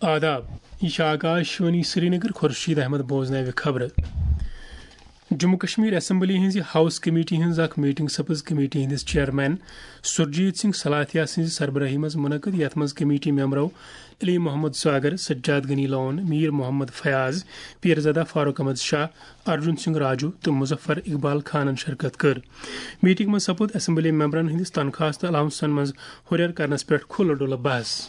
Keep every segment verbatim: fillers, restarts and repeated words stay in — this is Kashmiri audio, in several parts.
آداب، یہِ چھِ آکاش وانی سرینگر۔ خورشید احمد بوزناوِ خبرٕ۔ جموں کشمیر اسمبلی ہٕنٛزِ ہاؤس کمیٹی ہٕنٛز اکھ میٹنگ سپٕز کمیٹی ہٕنٛدِس چیئرمین سرجیت سنگھ سلاتھیا سٕنٛزِ سربراہی منٛز منعقد، یتھ منٛز کمیٹی ممبرو علی محمد ساگر، سجاد غنی لون، میر محمد فیاض، پیرزادہ فاروق احمد شاہ، ارجن سنگھ راجو تہٕ مظفر اقبال خانن شرکت کٔر۔ میٹنگ منٛز سپُد اسمبلی ممبرن ہٕنٛدِس تنخواہس تہٕ الاونسن منٛز ہُرٮ۪ر کرنس پٮ۪ٹھ کھُلہٕ ڈُلہٕ بحث۔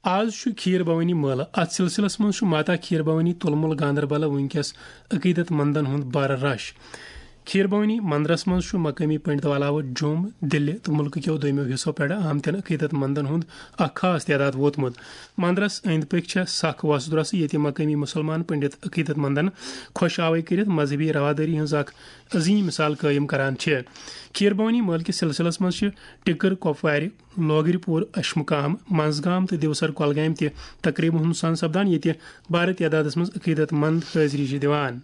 آز چھُ کھیٖر بھوانی مٲلہٕ۔ اتھ سلسلس منٛز چھُ ماتا کھیٖر بھوانی تُلمُل گاندربل وٕنکیٚس عقیدت مندن ہُنٛد بارٕ رش۔ کھیٖر بھوانی مندرس منٛز چھُ مقٲمی پنڈتو علاوٕ جوٚم، دِلہِ تہٕ مُلکہٕ کیو دوٚیمٮ۪و حصو پٮ۪ٹھٕ آمتٮ۪ن عقیدت مندن ہُنٛد اکھ خاص تعداد ووتمُت۔ مندرس أنٛدۍ پٔکۍ چھےٚ سخ وۄژھ درۄسہٕ، ییٚتہِ مقٲمی مُسلمان پنڈت عقیدت مندن خۄش آوٕے کٔرِتھ مذہبی روادٲری ہٕنٛز اکھ عظیٖم مثال قٲیِم کران چھِ۔ کھیٖر بھوانی مٲلہٕ کِس سلسلس منٛز چھِ ٹِکر کۄپوارِ، لوگرِ پوٗر، اشمُقام، منٛزگام تہٕ دیوسر کۄلگامہِ تہِ تقریبن ہُنٛد سان سپدان، ییٚتہِ بارٕ تعدادس منٛز عقیدت مند حٲضری چھِ دِوان۔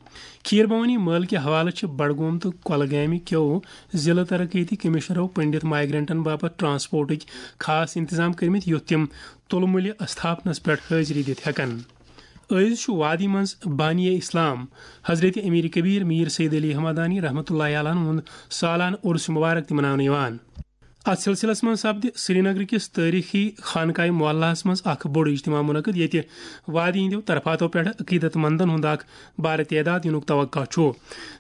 کھیٖر بھوانی مٲلہٕ کہِ حوالہٕ چھِ بڈگوم تہٕ کۄلگامہِ کیو ضلعہٕ ترقیتی کمشنرو پنڈت مائیگرنٹن باپتھ ٹرانسپورٹٕکۍ خاص انتظام کٔرمٕتۍ، یُتھ تِم تُلمُلہِ استھاپنس پٮ۪ٹھ حٲضری دِتھ ہٮ۪کن۔ أزۍ چھُ وادی منٛز بانی اسلام حضرت امیر کبیر میر سید علی احمدانی رحمتہ اللہ علیہ ہُنٛد سالانہٕ عرس مبارک تہِ مناونہٕ یِوان۔ اتھ سلسلس منٛز سپدِ سرینگر کِس تٲریخی خانقاہ معلیٰ ہس منٛز اکھ بوٚڑ اجتماع منعقد، ییٚتہِ وادی ہٕنٛدیو طرفاتو پٮ۪ٹھ عقیدت مندن ہُنٛد اکھ بارٕ تعداد یِنُک توقع چھُ۔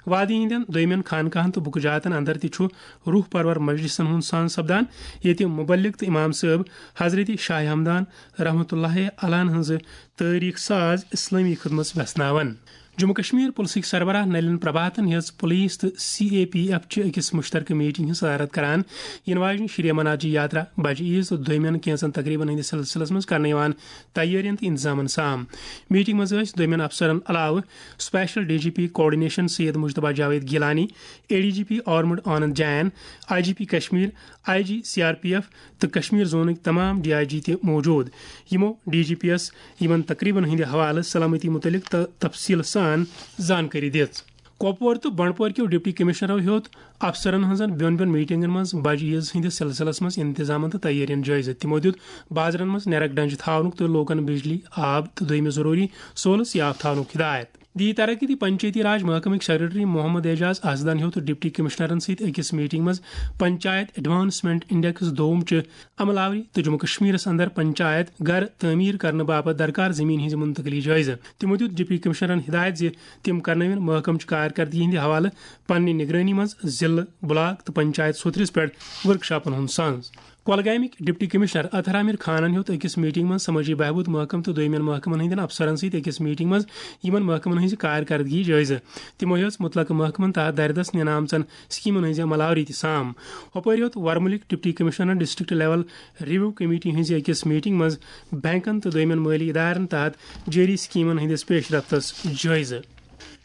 وادی ہٕنٛدٮ۪ن دوٚیمٮ۪ن خانقاہن تہٕ بُکہٕ جاتن اندر تہِ چھُ روح پرور مجلسن ہُنٛد سان سپدان، ییٚتہِ مبلغ تہٕ امام صٲب حضرت شاہ ہمدان رحمتہ اللہ علیہ ہٕنٛز تٲریخ ساز اسلٲمی خدمژ ویژھناوان۔ جموں کشمیر پُلسٕکۍ سربراہ نلین پربھاتن ہیٚژ پُلیٖس تہٕ سی اے پی ایف چہِ أکِس مُشترکہٕ میٹنگ ہٕنٛز صدارت کران، یِنہٕ واجنہِ شری امرناتھ جی یاترا، بجہِ عیٖز تہٕ دوٚیمٮ۪ن کینٛژن تقریبن ہٕنٛدِس سلسلس منٛز کرنہٕ یِوان تیٲرین تہٕ انتظامن سام۔ میٹنگ منٛز ٲسۍ دوٚیمٮ۪ن افسرن علاوٕ special D G P coordination Syed Mujtaba Javed Gilani, A D G P armed Anand Jain, I G P Kashmir, I G C R P F تہٕ کشمیر زونٕکۍ تمام ڈی آئی جی تہِ موجود۔ یِمو ڈی جی پی یس یِمن تقریبن ہٕنٛدِ حوالہٕ سلامتی مُتعلق تہٕ تفصیٖل سان زانکٲری دِژ۔ کۄپوور تہٕ بنڈپور کیو ڈپٹی کمشنرو ہیوٚت افسرن ہٕنٛزن بیوٚن بیوٚن میٹنگن منٛز بجہِ عیز ہٕنٛدِس سلسلس منٛز انتظامن تہٕ تیٲرین جٲیزٕ۔ تِمو دیُت بازرن منٛز نیرک ڈنجہِ تھاونُک تہٕ لوٗکن بجلی، آب تہٕ دوٚیمہِ ضروٗری سہوٗلژ یاف تھاونُک ہدایت۔ دی ترقی تہٕ پنچایتی راج محکمٕکۍ سیکرٹری محمد اعجاز اسدن ہیوٚت ڈپٹی کمشنرن سۭتۍ أکِس میٹنگ منٛز پنچایت ایڈوانسمنٹ انڈیکس دوم چہِ عمل آوری تہٕ جموں کشمیرس اندر پنچایت گھر تعمیر کرنہٕ باپتھ درکار زمین ہٕنٛز منتقلی جٲیزٕ۔ تِمو دیُت ڈپٹی کمشنرن ہدایت زِ تِم کرنٲوِن محکمہٕ چہِ کارکردگی ہٕنٛدِ حوالہٕ پننہِ نگرٲنی منٛز ضلعہٕ، بلاک تہٕ پنچایت سوتھرِس پٮ۪ٹھ ورکشاپن ہُنٛد سنز۔ کۄلگامٕکۍ ڈپٹی کمشنر اطہر عامر خانن ہیوٚت أکِس میٹنگ منٛز سمٲجی بہبود محکمہٕ تہٕ دوٚیمٮ۪ن محکمن ہٕنٛدٮ۪ن افسرن سۭتۍ أکِس میٹنگ منٛز یِمن محکمن ہٕنٛزِ کارکردگی جٲیزٕ۔ تِمو ہیوٚژ مُتلقہٕ محکمن تحت دردس نِنہٕ آمژن سکیمن ہٕنٛزِ عمل آوری تہِ سام۔ ہۄپٲرۍ ہیوٚت ورمُلٕکۍ ڈپٹی کمشنرن ڈسٹرکٹ لیول ریویو کمیٹی ہٕنٛزِ أکِس میٹنگ منٛز بینکن تہٕ دوٚیمٮ۪ن مٲلی ادارن تحت جٲری سکیمن ہٕنٛدِس پیش رفتس جٲیزٕ۔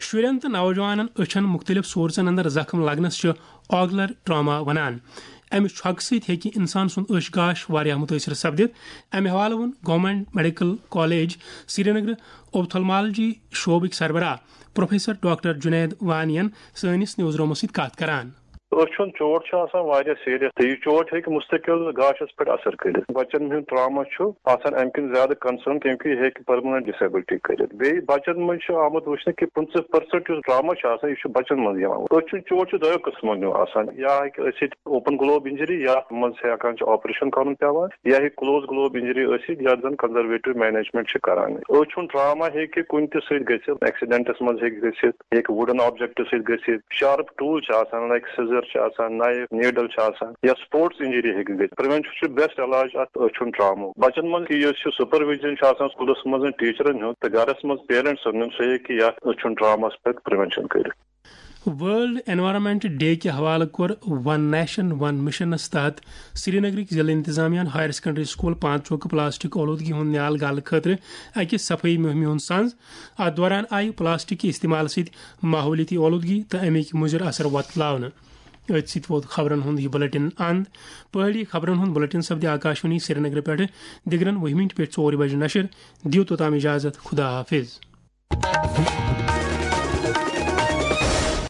شُرٮ۪ن تہٕ نوجوانن أچھن مُختٔلِف سورسن اندر زخم لگنس چھِ آگلر ٹراما ونان۔ امہِ چھۄکہٕ سۭتۍ ہیٚکہِ انسان سُنٛد أچھ گاش واریاہ مُتٲثر سپدِتھ۔ امہِ حوالہٕ ووٚن گورنمنٹ میڈیکل کالج سرینگر اوپتھلمالجی شعبٕکۍ سربراہ پروفیسر ڈاکٹر جنید وانین سٲنِس نیوز رومس سۭتۍ کتھ کران۔ أچھ ہُنٛد چوٹ چھُ آسان واریاہ سیریس تہٕ یہِ چوٹ ہیٚکہِ مستقل گاشس پٮ۪ٹھ اثر کٔرِتھ۔ بچن ہُنٛد ٹراما چھُ آسان امہِ کِنۍ زیادٕ کنسرن، کیونکہ یہِ ہیٚکہِ پرماننٹ ڈسیبلٹی کٔرِتھ۔ بیٚیہِ بچن منٛز چھُ آمُت وٕچھنہٕ کہِ پٕنٛژٕہ پٔرسنٹ یُس ٹراما چھُ آسان، یہِ چھُ بچن منٛز یِوان۔ أچھ ہُنٛد چوٹ چھُ دۄیو قٕسمو نیو آسان، یا ہیٚکہِ ٲسِتھ اوپن گلوب انجری، یتھ منٛز ہیٚکان چھُ آپریشن کرُن پٮ۪وان، یا ہیٚکہِ کلوز گلوب انجری ٲسِتھ، یتھ زن کنزرویٹو مینجمنٹ چھِ کران۔ أچھ ہُنٛد ٹراما ہیٚکہِ کُنہِ تہِ سۭتۍ گٔژھِتھ، ایکسیڈنٹس منٛز ہیٚکہِ گٔژھِتھ، ہیٚکہِ وُڈن آبجیکٹ سۭتۍ گٔژھِتھ، شارپ ٹوٗل چھِ آسان، لایک سیزر چھِ آسان، نایف، نیڈل چھِ آسان، یا سپورٹس انجری ہیٚکہِ گٔژھِتھ۔ پریونشن چھُ بیسٹ علاج اتھ أچھ ہُنٛد ٹرامُک۔ بچن منٛز کہِ یُس یہِ سپرویژن چھُ آسان سکولس منٛز ٹیچرن ہُنٛد تہٕ گرس منٛز پیرنٹسن ہُنٛد، سُہ ہیٚکہِ یتھ أچھ ہُنٛد ٹرامس پٮ۪ٹھ پریونشن کٔرِتھ۔ ورلڈ انوائرمنٹ ڈے کہِ حوالہٕ کوٚر ون نیشن ون مشنس تحت سرینگرٕکۍ ضلع انتظامیہ ہن ہائر سیکنڈری سکول پانچوکہٕ پلاسٹک اولودگی ہُنٛد نیال گالہٕ خٲطرٕ اکہِ صفٲیی مہمہِ ہُنٛد سنز۔ اتھ دوران آیہِ پلاسٹک کہِ استعمال سۭتۍ ماحولیٲتی اولودگی تہٕ امِکۍ مُضر اثر وۄتلاونہٕ۔ أتھۍ سۭتۍ ووت خبرن ہُنٛد یہِ بُلٹن اند۔ پہٲڑی خبرن ہُنٛد بُلٹن سپدِ آکاشوانی سرینگرٕ پٮ۪ٹھٕ دِگرن وُہہِ مِنٹہِ پٮ۪ٹھ ژورِ بجہِ نشر۔ دِیِو توٚتام اجازت، خدا حافظ۔